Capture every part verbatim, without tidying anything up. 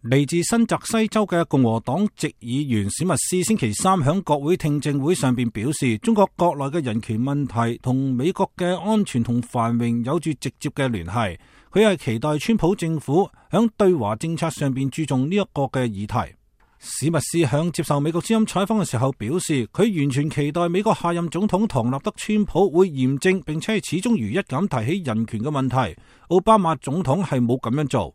嚟自新澤西州嘅共和黨籍議員史密斯星期三響國會聽證會上邊表示，中國國內嘅人權問題同美國嘅安全同繁榮有住直接嘅聯繫。佢係期待川普政府響對華政策上邊注重呢一個嘅議題。史密斯響接受美國之音採訪嘅時候表示，佢完全期待美國下任總統唐納德川普會嚴正並且係始終如一咁提起人權嘅問題。奧巴馬總統係冇咁樣做。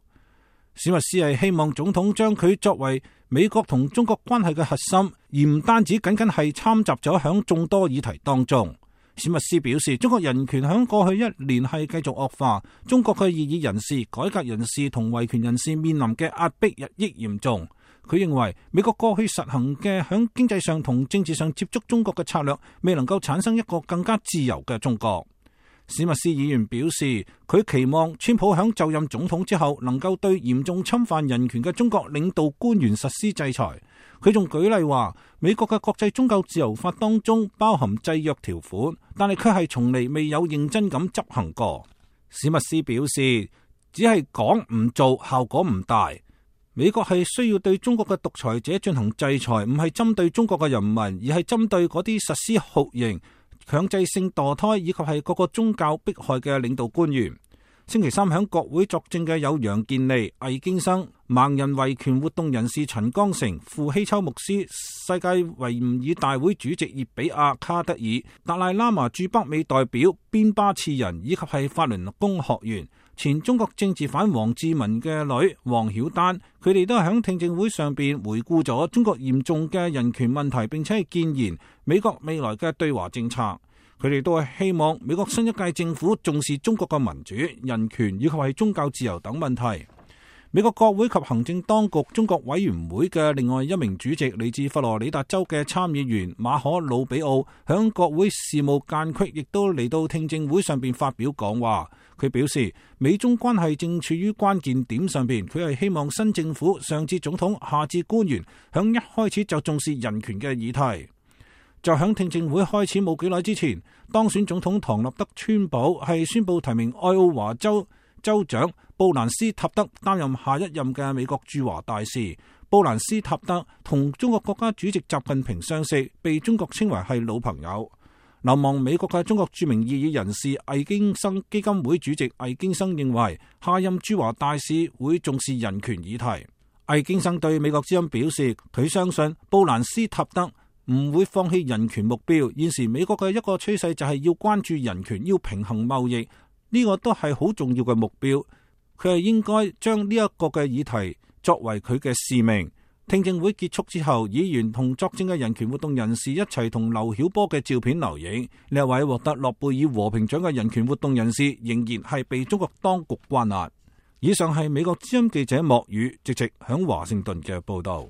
史密斯係希望總統將佢作為美國同中國關係嘅核心，而唔單止僅僅係參雜咗響眾多議題當中。史密斯表示，中國人權響過去一年係繼續惡化，中國嘅異議人士、改革人士同維權人士面臨嘅壓迫日益嚴重。佢認為美國過去實行嘅響經濟上同政治上接觸中國嘅策略，未能夠產生一個更加自由嘅中國。史密斯議員表示，佢期望川普響就任總統之後，能夠對嚴重侵犯人權嘅中國領導官員實施制裁。佢仲舉例話，美國嘅國際宗教自由法當中包含制約條款，但係卻係從嚟未有認真咁執行過。史密斯表示，只係講唔做，效果唔大。美國係需要對中國嘅獨裁者進行制裁，唔係針對中國嘅人民，而係針對嗰啲實施酷刑、強制性墮胎以及係各個宗教迫害嘅領導官員。星期三響國會作證嘅有楊健利、魏京生、盲人維權活動人士陳剛成、傅希秋牧師、世界維吾爾大會主席葉比亞卡德爾、達賴喇嘛駐北美代表邊巴次仁以及係法輪功學員、前中國政治犯王志民嘅女王曉丹，佢哋都係響聽證會上邊回顧咗中國嚴重嘅人權問題，並且係建言美國未來嘅對華政策。佢哋都係希望美國新一屆政府重視中國嘅民主、人權以及係宗教自由等問題。美國國會及行政當局中國委員會嘅另外一名主席，嚟自佛羅里達州嘅參議員馬可魯比奧，響國會事務間隙亦都嚟到聽證會上邊發表講話。佢表示，美中關係正處於關鍵點上邊，佢係希望新政府上至總統下至官員，響一開始就重視人權嘅議題。就響聽證會開始冇幾耐之前，當選總統唐納德川普係宣布提名愛奧華州州長布蘭斯塔德擔任下一任嘅美國駐華大使。布蘭斯塔德同中國國家主席習近平相識，被中國稱為係老朋友。流亡美國嘅中國著名異議人士魏京生基金會主席魏京生認為，下任駐華大使會重視人權議題。魏京生對美國之音表示，佢相信布蘭斯塔德唔會放棄人權目標。現時美國嘅一個趨勢就係要關注人權，要平衡貿易，呢個都係好重要嘅目標。佢係應該將呢一個嘅議題作為佢嘅使命。聽證會結束之後，議員同作證嘅人權活動人士一齊同劉曉波嘅照片留影。呢一位獲得諾貝爾和平獎嘅人權活動人士仍然係被中國當局關押。以上係美國之音記者莫宇直直響華盛頓嘅報道。